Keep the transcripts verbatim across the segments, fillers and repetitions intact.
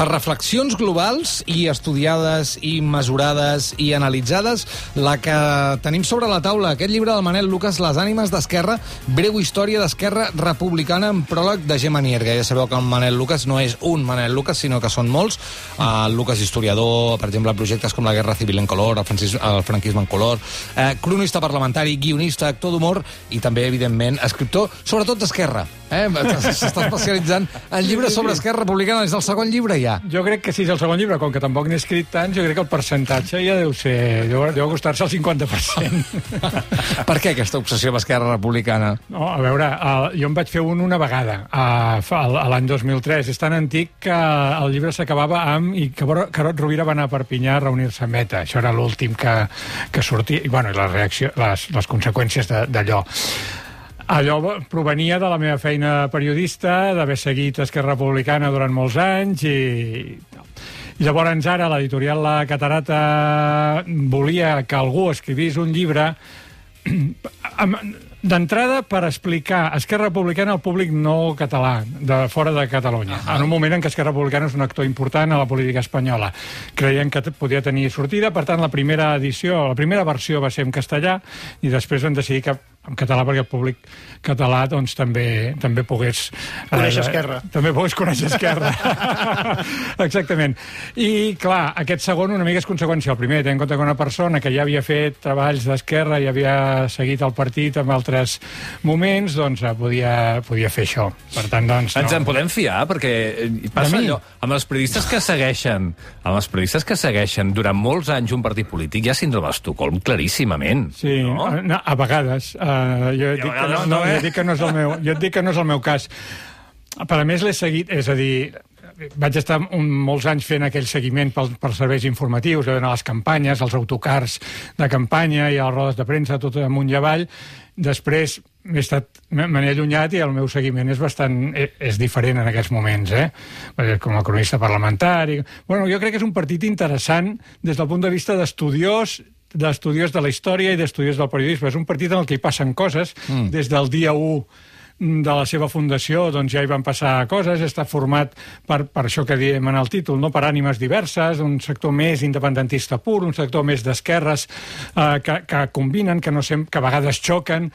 Per reflexions globals i estudiades i mesurades i analitzades, la que tenim sobre la taula, aquest llibre del Manel Lucas, Les ànimes d'Esquerra, breu història d'Esquerra Republicana, en pròleg de Gemma Nierga. Ja sabeu que el Manel Lucas no és un Manel Lucas, sinó que són molts. El Lucas historiador, per exemple, projectes com la Guerra Civil en color, el, francis, el franquisme en color, eh, cronista parlamentari, guionista, actor d'humor i també, evidentment, escriptor, sobretot d'Esquerra. Eh? S'està especialitzant en llibres sobre Esquerra Republicana. És el segon llibre ja. Jo crec que sí, és el segon llibre, com que tampoc n'he escrit tants, jo crec que el percentatge ja deu ser... deu, deu acostar-se al cinquanta per cent. Per què aquesta obsessió amb Esquerra Republicana? No, a veure, uh, jo en vaig fer un una vegada, uh, l'any dos mil tres. És tan antic que el llibre s'acabava amb... i que Carod Rovira va anar a Perpinyà a reunir-se amb ETA. Això era l'últim que, que sortia. I, bueno, i la reacció, les, les conseqüències d'allò. Allò provenia de la meva feina periodista, d'haver seguit Esquerra Republicana durant molts anys i... I llavors ara l'editorial La Catarata volia que algú escrivís un llibre d'entrada per explicar Esquerra Republicana al públic no català, de fora de Catalunya, en un moment en què Esquerra Republicana és un actor important a la política espanyola. Creien que podia tenir sortida, per tant la primera edició, la primera versió va ser en castellà i després vam decidir que en català perquè el públic català doncs també també pogués conèixer Esquerra. Eh, també pogués conèixer Esquerra. Exactament. I clar, aquest segon una mica és conseqüència. El primer, tenint en compte que una persona que ja havia fet treballs d'Esquerra i havia seguit el partit en altres moments, doncs podia, podia fer això. Per tant, doncs... No. Ens en no. podem fiar? Perquè passa allò, amb els periodistes que segueixen amb els periodistes que segueixen durant molts anys un partit polític, hi ha síndrome d'Estocolm claríssimament. Sí, no? a, a vegades... Uh, jo, et dic que no, no, eh? jo dic que no és el meu, jo et dic que no és el meu cas. Per a més l'he seguit, és a dir, vaig estar un, molts anys fent aquell seguiment pel, pels serveis informatius, a les campanyes, els autocars de campanya i a les rodes de premsa, tot amunt i avall. Després m'he estat, me n'he allunyat i el meu seguiment és bastant, és diferent en aquests moments, eh? Com a cronista parlamentari. Bueno, jo crec que és un partit interessant des del punt de vista d'estudiós, d'estudiós de la història i d'estudiós del periodisme. És un partit en el que hi passen coses. Mm. Des del dia u de la seva fundació doncs ja hi van passar coses. Està format per, per això que diem en el títol, no? Per ànimes diverses, un sector més independentista pur, un sector més d'esquerres eh, que, que combinen, que, no sem que a vegades xoquen.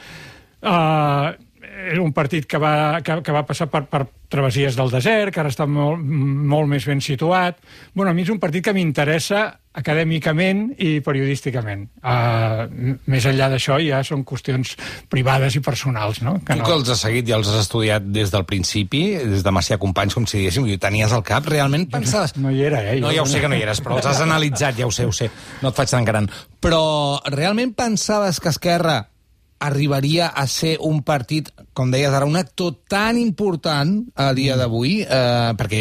Eh, era un partit que va, que, que va passar per, per travessies del desert, que ara està molt, molt més ben situat. Bueno, a mi és un partit que m'interessa acadèmicament i periodísticament. Uh, més enllà d'això ja són qüestions privades i personals, no? Que tu no... que els has seguit i els has estudiat des del principi, des de Macià Companys, com si diguéssim, i ho tenies al cap, realment pensaves... No hi era, eh? No, ja ho sé que no hi eres, però els has analitzat, ja ho sé, ho sé. No et faig tan gran. Però realment pensaves que Esquerra arribaria a ser un partit, com deies ara, un actor tan important a dia d'avui, eh, perquè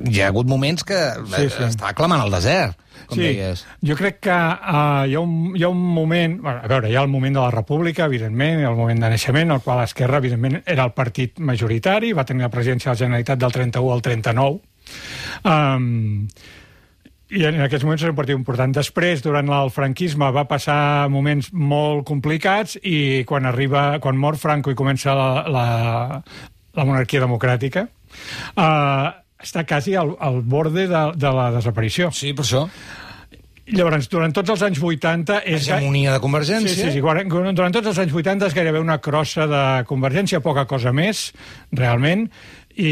hi ha hagut moments que sí, sí. està clamant al desert, com sí. deies. Jo crec que uh, hi, ha un, hi ha un moment... Bueno, a veure, hi ha el moment de la República, evidentment, el moment de naixement, el qual Esquerra, evidentment, era el partit majoritari, va tenir la presidència de la Generalitat del trenta-u al trenta-nou. Um, I en aquests moments és un partit important. Després, durant el franquisme, va passar moments molt complicats i quan arriba, quan mor Franco i comença la, la, la monarquia democràtica, eh, està quasi al, al borde de, de la desaparició. Sí, per això. Llavors, durant tots els anys vuitanta... És hegemonia de Convergència. Sí, sí, sí. Durant tots els anys vuitanta és gairebé una crossa de Convergència, poca cosa més, realment, i,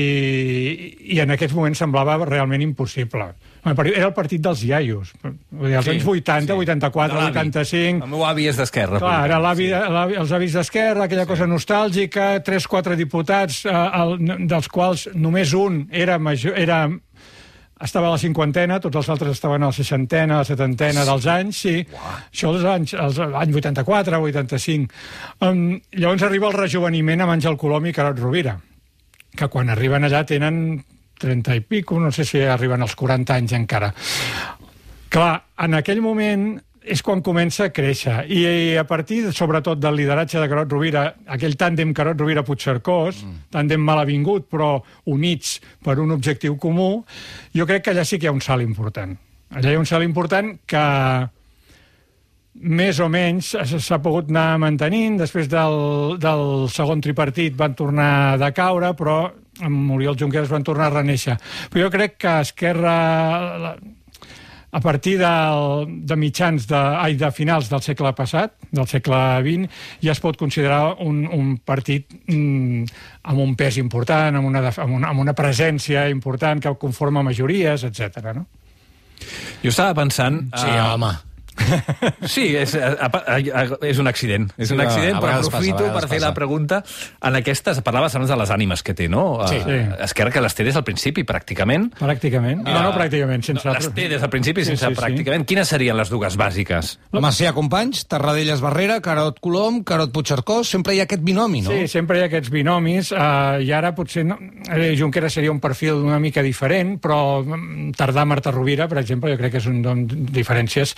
i en aquests moments semblava realment impossible. Era el partit dels iaios. Els sí, anys vuitanta, sí. vuitanta-quatre, vuitanta-cinc... El meu avi és d'Esquerra. Clar, era l'avi, sí. els avis d'Esquerra, aquella sí. cosa nostàlgica, tres, quatre diputats, eh, el, dels quals només un era major... Era, estava a la cinquantena, tots els altres estaven a la seixantena, a la setantena dels anys, sí. Uau. Això els anys, els anys vuitanta-quatre, vuitanta-cinc. Um, llavors arriba el rejoveniment amb Àngel Colom i Carod Rovira, que quan arriben allà tenen trenta i pico, no sé si arriben als quaranta anys encara. Clar, en aquell moment és quan comença a créixer. I a partir, sobretot, del lideratge de Carod Rovira, aquell tàndem Carod Rovira-Puigcercós, mm. tàndem mal avingut, però units per un objectiu comú, jo crec que allà sí que hi ha un salt important. Allà hi ha un salt important que més o menys s'ha pogut anar mantenint. Després del, del segon tripartit van tornar a decaure, però amb Oriol Junqueras van tornar a reneixer. Però jo crec que Esquerra, a partir del, de mitjans, de, ai, de finals del segle passat, del segle vint, ja es pot considerar un, un partit mm, amb un pes important, amb una, amb, una, amb una presència important que conforma majories, etcètera. No? Jo estava pensant... Sí, uh... home... Sí, és, és un accident. És un accident, sí, però aprofito per fer la pregunta en aquestes... Parlaves abans de les ànimes que té, no? Sí. Esquerra que les té des del principi, pràcticament. Pràcticament. No, no pràcticament. Sense... No, les té des del principi, sense sí, sí, pràcticament. Sí. Quines serien les dues bàsiques? Macià Companys, Tarradellas Barrera, Carod Colom, Carod Puigcercós, sempre hi ha aquest binomi, no? Sí, sempre hi ha aquests binomis, uh, i ara potser no... Junqueras seria un perfil una mica diferent, però Tardà Marta Rovira, per exemple, jo crec que és un don diferències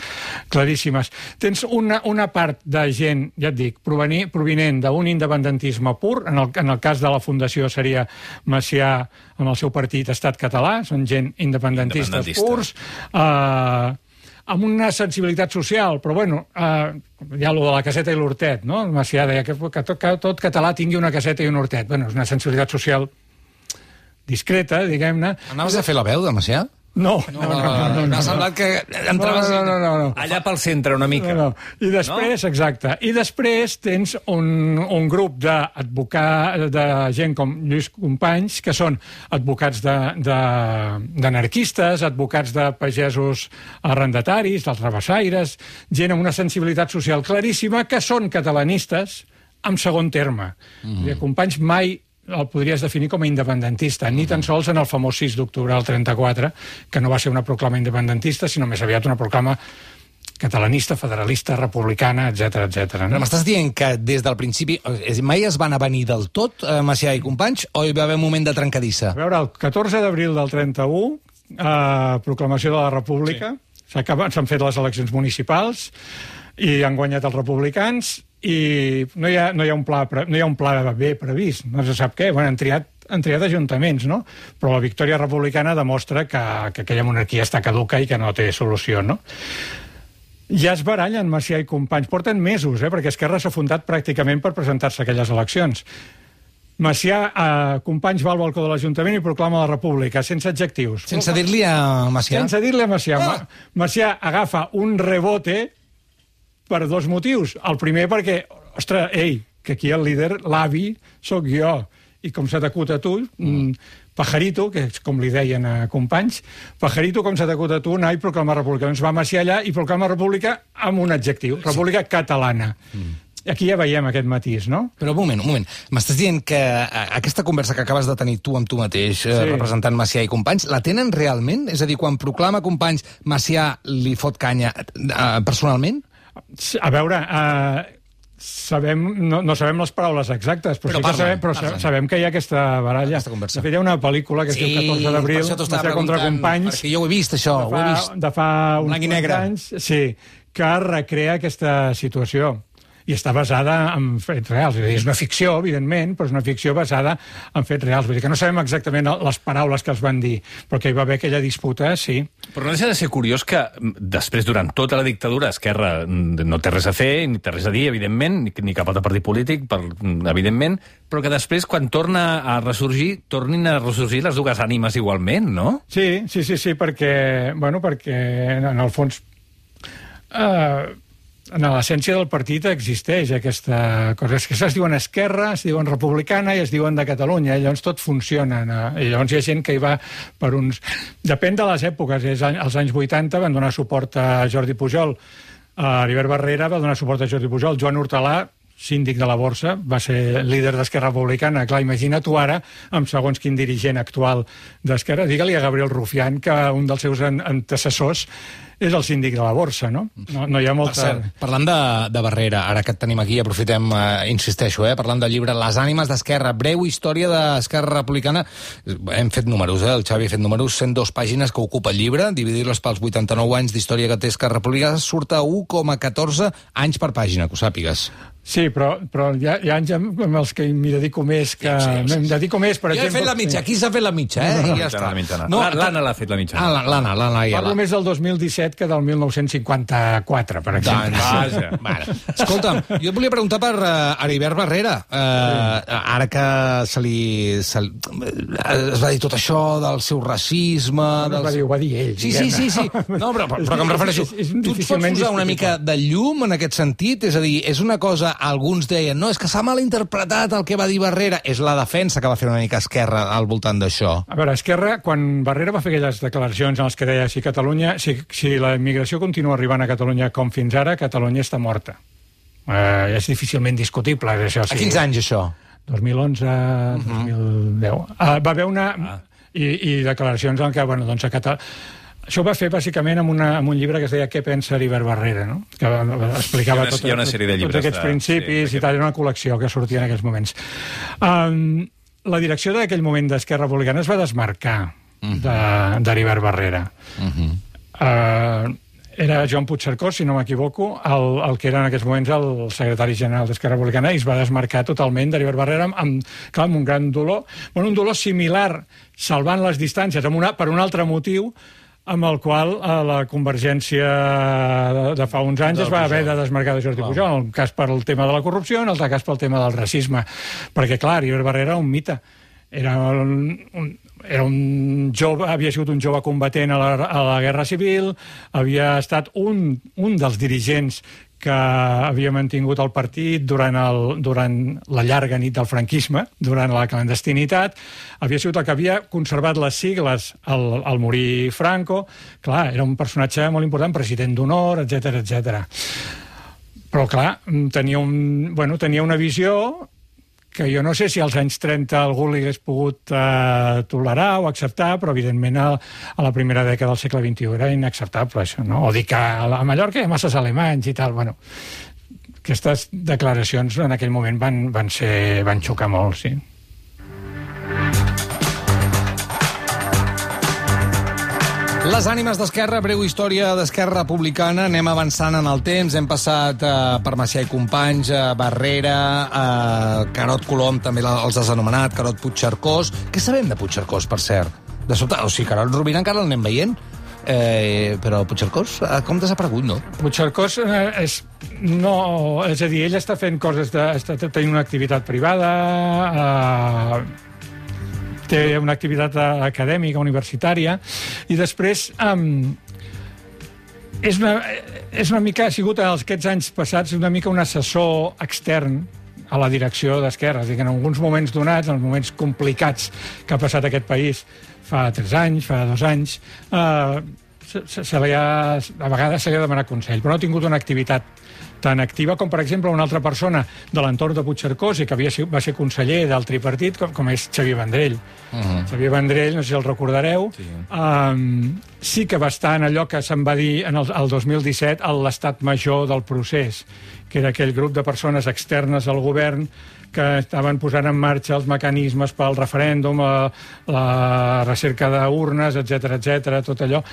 claríssimes. Tens una, una part de gent, ja et dic, provenir, provinent d'un independentisme pur, en el, en el cas de la Fundació seria Macià amb el seu partit Estat Català, són gent independentistes Independentista. purs, eh, amb una sensibilitat social, però bueno, eh, hi ha allò de la caseta i l'hortet, no? Macià deia que, que, tot, que tot català tingui una caseta i un hortet. Bueno, és una sensibilitat social discreta, diguem-ne. Anaves a fer la veu de Macià? No, no, no, no, no, no. M'ha semblat que entraves... No, no, no, no. Allà pel centre, una mica. No, no. I després, no? Exacte, i després tens un, un grup d'advocats, de gent com Lluís Companys, que són advocats d'anarquistes, advocats de pagesos arrendataris, dels rabassaires, gent amb una sensibilitat social claríssima, que són catalanistes en segon terme. Mm. Companys mai el podries definir com a independentista, ni tan sols en el famós sis d'octubre del trenta-quatre, que no va ser una proclama independentista, sinó més aviat una proclama catalanista, federalista, republicana, etcètera, etcètera. No? M'estàs dient que des del principi mai es van avenir del tot, eh, Macià i Companys, o hi va haver un moment de trencadissa? A veure, el catorze d'abril del trenta-u, eh, proclamació de la República, sí. S'han fet les eleccions municipals i han guanyat els republicans, i no hi ha, no hi ha un pla no hi ha un pla B previst, no se sap què. Bueno, han triat, han triat ajuntaments, no? Però la victòria republicana demostra que, que aquella monarquia està caduca i que no té solució, no? Ja es barallen Macià i Companys, porten mesos, eh? Perquè Esquerra s'ha fundat pràcticament per presentar-se a aquelles eleccions. Macià, eh, Companys va al balcó de l'Ajuntament i proclama la República, sense adjectius. Sense dir-li a Macià? Sense dir-li a Macià. Ah! Macià agafa un rebote per dos motius. El primer perquè, ostres, ei, que aquí el líder, l'avi, sóc jo. I com s'ha t'acut a tu, mm. Pajarito, que és com li deien a Companys, Pajarito, com s'ha t'acut a tu, anar i proclamar república. Doncs va Macià allà i proclama república amb un adjectiu, república catalana. Mm. Aquí ja veiem aquest matís, no? Però un moment, un moment. M'estàs dient que aquesta conversa que acabes de tenir tu amb tu mateix, sí. representant Macià i Companys, la tenen realment? És a dir, quan proclama Companys, Macià li fot canya eh, personalment? A veure, uh, sabem, no, no sabem les paraules exactes, però, però, sí parla, sabem, però parla. sabem que hi ha aquesta baralla. Aquesta conversa. De fet, hi ha una pel·lícula que es diu sí, catorze d'abril, Macià contra Companys. Perquè jo ho he vist, això, de fa, ho he vist. De fa uns quants anys, sí, que recrea aquesta situació. I està basada en fets reals. És, dir, és una ficció, evidentment, però és una ficció basada en fets reals. Vull dir que no sabem exactament les paraules que es van dir, però que hi va haver aquella disputa, sí. Però no deixa de ser curiós que després, durant tota la dictadura, Esquerra no té res a fer, ni té res a dir, evidentment, ni, ni cap altre partit polític, per, evidentment, però que després, quan torna a ressorgir, tornin a ressorgir les dues ànimes igualment, no? Sí, sí, sí, sí, perquè, bueno, perquè en el fons... Eh... En l'essència del partit existeix aquesta cosa. És que es diuen Esquerra, es diuen Republicana i es diuen de Catalunya. I llavors tot funciona. I llavors hi ha gent que hi va per uns... Depèn de les èpoques. Als anys vuitanta van donar suport a Jordi Pujol. A Heribert Barrera va donar suport a Jordi Pujol. Joan Hortalà, síndic de la Borsa, va ser líder d'Esquerra Republicana. Clar, imagina tu ara, amb segons quin dirigent actual d'Esquerra, digue-li a Gabriel Rufián que un dels seus antecessors és el síndic de la Borsa, no? No, no hi ha molta... Per cert, parlant de, de Barrera, ara que et tenim aquí, aprofitem, eh, insisteixo, eh, parlant del llibre Les ànimes d'Esquerra, breu història d'Esquerra Republicana. Hem fet números, eh? El Xavi ha fet números, cent dos pàgines que ocupa el llibre, dividir-les pels vuitanta-nou anys d'història que té Esquerra Republicana, surt a u coma catorze anys per pàgina, que ho sàpigues. Sí, però, però hi, ha, hi ha anys amb els que m'hi dedico més, que sí, sí, sí. Em dedico més, per jo exemple... Jo he fet la mitja, aquí s'ha fet la mitja, eh? No, no, I ja està. No, L'Anna l'ha fet la mitja. Ah, l'Anna, l'Anna ja Parlo més del dos mil disset, dret que del mil nou-cents cinquanta-quatre, per exemple. Doncs, vaja. Bueno, escolta'm, jo et volia preguntar per uh, Heribert Barrera. Uh, sí. Ara que se li, se li... es va dir tot això del seu racisme... No, dels... va dir, ho va dir ell. Sí, sí, sí, sí. No, però, però, però que em refereixo... Tu et pots posar una mica de llum en aquest sentit? És a dir, és una cosa... Alguns deien, no, és que s'ha malinterpretat el que va dir Barrera. És la defensa que va fer una mica Esquerra al voltant d'això. A veure, Esquerra, quan Barrera va fer aquelles declaracions en les que deia si Catalunya, si, si la immigració continua arribant a Catalunya com fins ara, Catalunya està morta. Eh, és difícilment discutible, això. Sí. A quins anys, això? dos mil onze, uh-huh. dos mil deu. Uh, va haver una... Ah. I, I declaracions en què, bueno, doncs a Catalunya... Això ho va fer, bàsicament, amb, una, amb un llibre que es deia Què pensa Heribert Barrera, no? Que explicava una, tot, una sèrie de tots aquests de... principis sí, i tal, era una col·lecció que sortia en aquells moments. Um, la direcció d'aquell moment d'Esquerra Republicana es va desmarcar uh-huh. d'Heribert Barrera. Uh-huh. Uh, era Joan Puigcercós, si no m'equivoco, el, el que era en aquests moments el secretari general d'Esquerra Republicana, i es va desmarcar totalment d'Heribert Barrera amb, amb, clar, amb un gran dolor. Bueno, un dolor similar, salvant les distàncies, amb una, per un altre motiu, amb el qual eh, la Convergència de, de fa uns anys es va haver de desmarcar de Jordi Pujol, en el cas per el tema de la corrupció, en el cas pel tema del racisme. Perquè, clar, Heribert Barrera era un mite. Era un, un, era un jove, havia sigut un jove combatent a la, a la Guerra Civil, havia estat un, un dels dirigents que havia mantingut el partit durant, el, durant la llarga nit del franquisme, durant la clandestinitat, havia sigut el que havia conservat les sigles al, al morir Franco. Clar, era un personatge molt important, president d'honor, etcètera, etcètera. Però, clar, tenia, un, bueno, tenia una visió que jo no sé si als anys trenta algú li hagués pogut eh, tolerar o acceptar, però evidentment a, a la primera dècada del segle vint-i-u era inacceptable, això, no? O dir que a Mallorca hi ha masses alemanys i tal, bueno... Aquestes declaracions en aquell moment van, van, ser, van xocar molt, sí. Les ànimes d'Esquerra, breu història d'Esquerra Republicana. Anem avançant en el temps. Hem passat eh, per Macià i Companys, eh, Barrera, eh, Carod Colom, també els has anomenat, Carod Puigcercós. Què sabem de Puigcercós, per cert? De sobte, o sigui, Carod Rovira encara l'anem veient, eh, però Puigcercós, eh, com desaparegut, no? Puigcercós eh, és... No, és a dir, ell està fent coses, de, està tenint una activitat privada... Eh, té una activitat acadèmica, universitària, i després um, és, una, és una mica, ha sigut en aquests anys passats una mica un assessor extern a la direcció d'Esquerra. És a dir, que en alguns moments donats, en els moments complicats que ha passat aquest país fa tres anys, fa dos anys, eh, se, se li ha, a vegades se li ha demanat consell, però no ha tingut una activitat tan activa com, per exemple, una altra persona de l'entorn de Puigcercós i que havia, va ser conseller del tripartit, com, com és Xavier Vendrell. Uh-huh. Xavier Vendrell, no sé si el recordareu, sí. Um, sí que va estar en allò que se'n va dir en el, el dos mil disset l'estat major del procés, que era aquell grup de persones externes al govern que estaven posant en marxa els mecanismes pel referèndum, la, la recerca d'urnes, etcètera, etcètera, tot allò.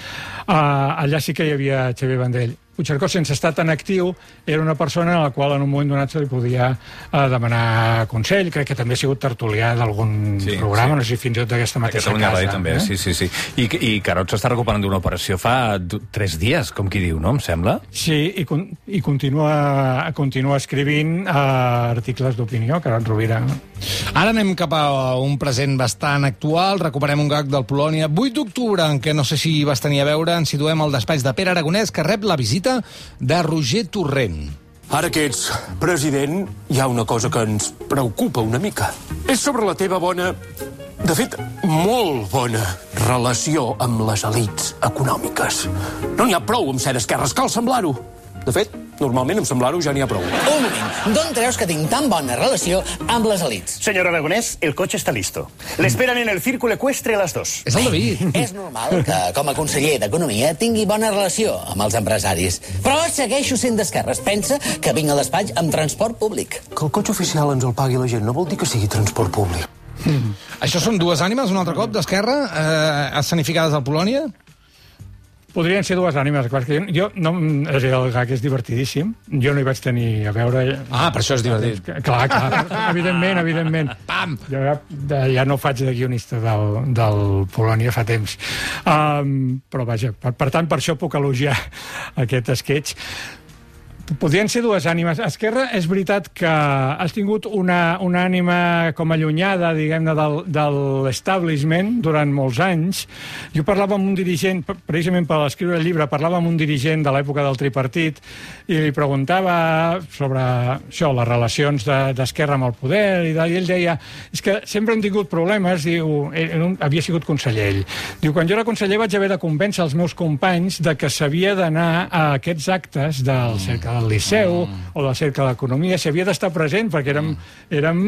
Uh, allà sí que hi havia Xavier Vendrell. Puigcercós, sense estar tan actiu, era una persona a la qual en un moment donat se li podia eh, demanar consell. Crec que també ha sigut tertulià d'algun sí, programa, sí. No sé si fins i tot d'aquesta mateixa casa. Ràdio, també, eh? sí, sí, sí. I, i Carod s'està recuperant d'una operació fa tres dies, com qui diu, no? Em sembla? Sí, i, con i continua, continua escrivint eh, articles d'opinió, Carod Rovira. Ara anem cap a un present bastant actual. Recuperem un gag del Polònia. vuit d'octubre, en què no sé si vas tenir a veure, ens situem al despatx de Pere Aragonès, que rep la visita de Roger Torrent. Ara que ets president, hi ha una cosa que ens preocupa una mica. És sobre la teva bona, de fet, molt bona relació amb les elits econòmiques. No n'hi ha prou amb ser d'esquerres, cal semblar-ho. De fet, normalment amb semblar-ho ja n'hi ha prou. Un moment, d'on treus que tinc tan bona relació amb les elits? Señor Aragonés, el coche está listo. Le esperan en el círculo ecuestre a las dos. És el David. És normal que, com a conseller d'Economia, tingui bona relació amb els empresaris. Però segueixo sent d'esquerres. Pensa que vinc a despatx amb transport públic. Que el cotxe oficial ens el pagui la gent no vol dir que sigui transport públic. Mm. Això són dues ànimes, un altre cop, d'Esquerra, eh, escenificades al Polònia? Podrien ser dues ànimes. Jo, jo no, és a dir, el gag és divertidíssim. Jo no hi vaig tenir a veure... Ah, per això és divertit. Clar, clar, evidentment, evidentment. Pam! Jo ja, ja no faig de guionista del, del Polònia fa temps. Um, però vaja, per, per tant, per això puc elogiar aquest sketch. Podrien ser dues ànimes. Esquerra, és veritat que has tingut una, una ànima com allunyada, diguem-ne, del, de l'establishment durant molts anys. Jo parlava amb un dirigent, precisament per escriure el llibre, parlava amb un dirigent de l'època del tripartit i li preguntava sobre això, les relacions d'Esquerra de, amb el poder, i, de, i ell deia, és que sempre hem tingut problemes, diu, ell, havia sigut conseller ell. Diu, quan jo era conseller vaig haver de convèncer els meus companys de que s'havia d'anar a aquests actes del cercle del Liceu mm. o del Cercle d'Economia, s'hi havia d'estar present perquè érem, érem,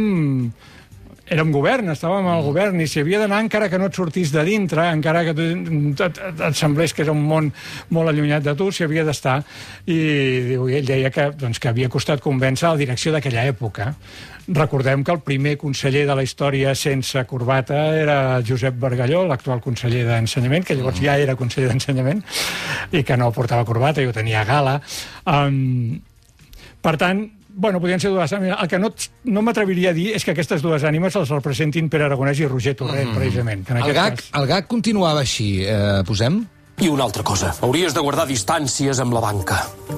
érem govern, estàvem al govern i s'hi havia d'anar encara que no et sortís de dintre, encara que et, et, et semblés que era un món molt allunyat de tu, s'hi havia d'estar. I diu, ell deia que, doncs, que havia costat convèncer la direcció d'aquella època. Recordem que el primer conseller de la història sense corbata era Josep Bargalló, l'actual conseller d'Ensenyament, que llavors ja era conseller d'Ensenyament, i que no portava corbata, i ho tenia a gala. Um, per tant, bueno, podrien ser dues ànimes. El que no, no m'atreviria a dir és que aquestes dues ànimes els representin Pere Aragonès i Roger Torrent, mm. precisament. Que en el, gag, cas... el gag continuava així. Eh, posem? I una altra cosa, hauries de guardar distàncies amb la banca.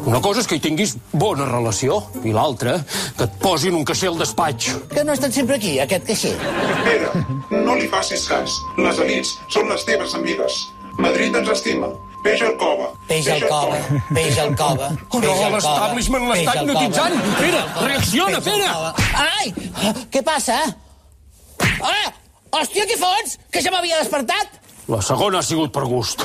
Una cosa és que hi tinguis bona relació, i l'altra, que et posin un caixer al despatx. Que no ha estat sempre aquí, aquest caixer. Pere, no li facis cas. Les elits són les teves amigues. Madrid ens estima. Peix al cova. Peix al cova, peix al cova. Oh, no, l'establishment l'està hipnotitzant. Pere, reacciona, Pere! Ai, què passa? Ah, hòstia, què fots? Que ja m'havia despertat? La segona ha sigut per gust.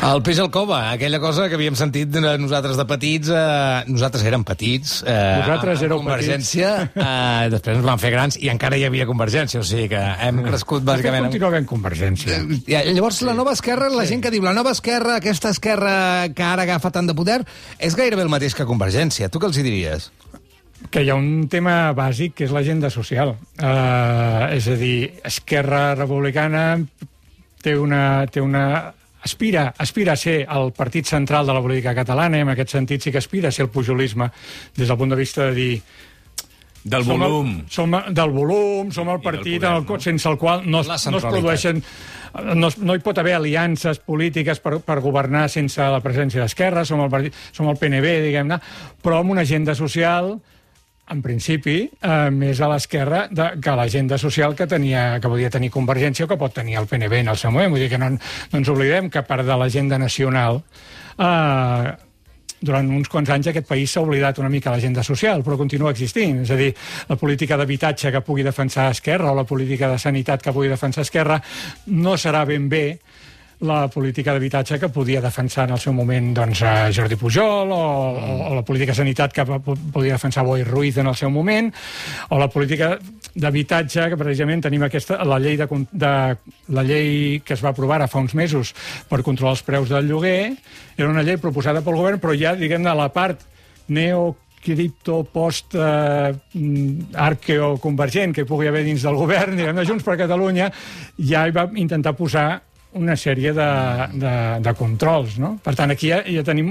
El peix al cova, aquella cosa que havíem sentit nosaltres de petits, eh, nosaltres érem petits, eh, nosaltres éreu Convergència, eh, després ens van fer grans i encara hi havia Convergència, o sigui que hem crescut bàsicament... Continua havent Convergència. Ja, llavors la nova esquerra, la gent que diu la nova esquerra, aquesta esquerra que ara agafa tant de poder, és gairebé el mateix que Convergència. Tu què els hi diries? Que hi ha un tema bàsic, que és l'agenda social. Uh, és a dir, Esquerra Republicana té una... Té una aspira, aspira a ser el partit central de la política catalana, i en aquest sentit sí que aspira a ser el pujolisme, des del punt de vista de dir... Del volum. Som, el, som del volum, som el partit poder, el, no? sense el qual no, es, no es produeixen... No, no hi pot haver aliances polítiques per, per governar sense la presència d'Esquerra, som el, partit, som el P N B, diguem-ne, però amb una agenda social... en principi, eh, més a l'esquerra que l'agenda social que tenia, que podia tenir Convergència o que pot tenir el P N B en el seu moment. Vull dir que no, no ens oblidem que, a part de l'agenda nacional, eh, durant uns quants anys aquest país s'ha oblidat una mica l'agenda social, però continua existint. És a dir, la política d'habitatge que pugui defensar Esquerra o la política de sanitat que pugui defensar Esquerra no serà ben bé la política d'habitatge que podia defensar en el seu moment doncs, Jordi Pujol, o, mm. o, o la política de sanitat que podia defensar Boi Ruiz en el seu moment, o la política d'habitatge que precisament tenim aquesta, la llei, de, de, la llei que es va aprovar fa uns mesos per controlar els preus del lloguer, era una llei proposada pel govern, però ja, diguem-ne, la part neo cripto, post, eh, arqueoconvergent que hi pugui haver dins del govern, diguem-ne, Junts per Catalunya, ja hi va intentar posar una sèrie de, de, de controls, no? Per tant, aquí ja, ja tenim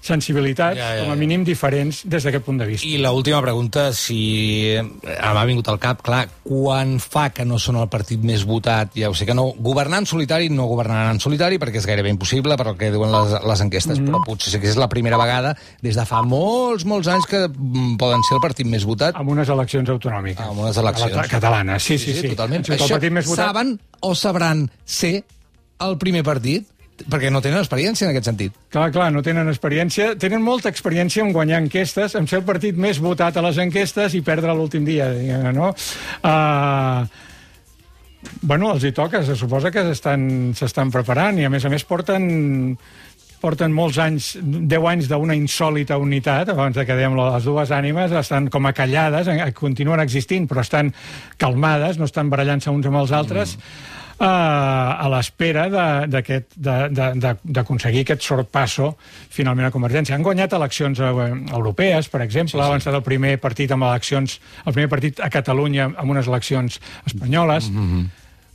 sensibilitats, ja, ja, ja. com a mínim, diferents des d'aquest punt de vista. I l'última pregunta, si m'ha vingut al cap, clar, quan fa que no són el partit més votat? Ja ho sé que no, governar en solitari no governaran en solitari, perquè és gairebé impossible, per el que diuen les, les enquestes, mm. però potser sí que és la primera vegada des de fa molts, molts anys que poden ser el partit més votat. Amb unes eleccions autonòmiques. Amb unes eleccions. Catalanes, sí, sí, sí. sí. Totalment. El Això partit més votat... saben o sabran ser el primer partit? Perquè no tenen experiència en aquest sentit. Clar, clar, no tenen experiència. Tenen molta experiència en guanyar enquestes, en ser el partit més votat a les enquestes i perdre l'últim dia, diguem, no? Uh, bueno, els hi toca, se suposa que s'estan preparant i, a més a més, porten... porten molts anys, deu anys d'una insòlita unitat, abans de que dèiem les dues ànimes, estan com acallades, continuen existint, però estan calmades, no estan barallant-se uns amb els altres, mm. Uh, a l'espera d'aconseguir aquest sorpasso finalment a Convergència. Han guanyat eleccions uh, europees, per exemple, sí, sí. Han estat el primer partit amb eleccions, el primer partit a Catalunya amb unes eleccions espanyoles. Mm-hmm.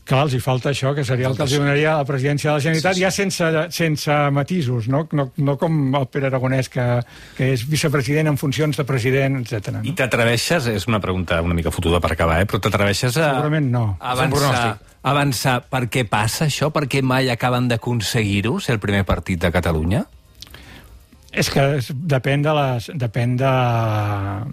Clar, els hi falta això, que seria el que els donaria la presidència de la Generalitat, sí, sí. ja sense, sense matisos, no? No, no com el Pere Aragonès, que, que és vicepresident en funcions de president, etcètera. No? I t'atreveixes, és una pregunta una mica fotuda per acabar, eh? Però t'atreveixes a... Segurament no. Avançar, avançar. Per què passa això? Per què mai acaben d'aconseguir-ho, ser el primer partit de Catalunya? És que depèn de les, depèn de,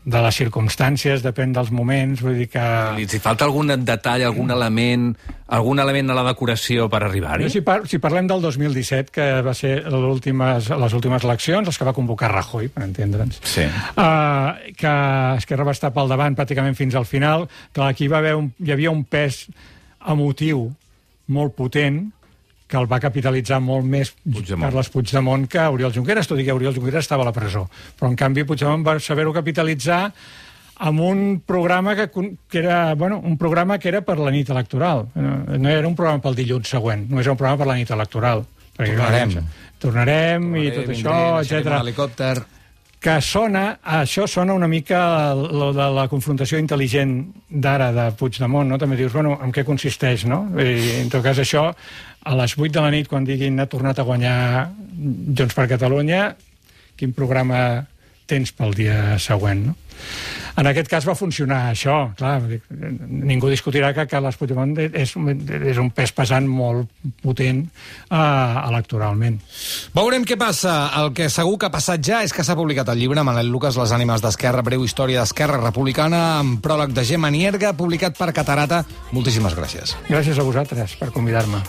de les circumstàncies, depèn dels moments, vull dir que... Si falta algun detall, algun element, algun element a la decoració per arribar-hi? Si, par si parlem del dos mil disset, que va ser últimes, les últimes eleccions, les que va convocar Rajoy, per entendre'ns, sí. uh, que Esquerra va estar pel davant pràcticament fins al final, que aquí va haver un, hi havia un pes emotiu molt potent, que el va capitalitzar molt més Puigdemont. Carles Puigdemont que Oriol Junqueras, tot i que Oriol Junqueras estava a la presó. Però, en canvi, Puigdemont va saber-ho capitalitzar amb un programa que, que era, bueno, un programa que era per la nit electoral. No era un programa pel dilluns següent, només era un programa per la nit electoral. Perquè, tornarem. Tornarem, tornarem i tot vindré, això, etcètera. Helicòpter... Que sona, això sona una mica lo de la confrontació intel·ligent d'ara de Puigdemont, no? També dius, bueno, en què consisteix, no? I, en tot cas, això, a les vuit de la nit, quan diguin ha tornat a guanyar Junts per Catalunya, quin programa tens pel dia següent, no? En aquest cas va funcionar això, clar, ningú discutirà que Carles Puigdemont és, és un pes pesant molt potent uh, electoralment. Veurem què passa. El que segur que ha passat ja és que s'ha publicat el llibre Manel Lucas, Les ànimes d'Esquerra, breu història d'Esquerra Republicana, amb pròleg de Gemma Nierga, publicat per Catarata. Moltíssimes gràcies. Gràcies a vosaltres per convidar-me.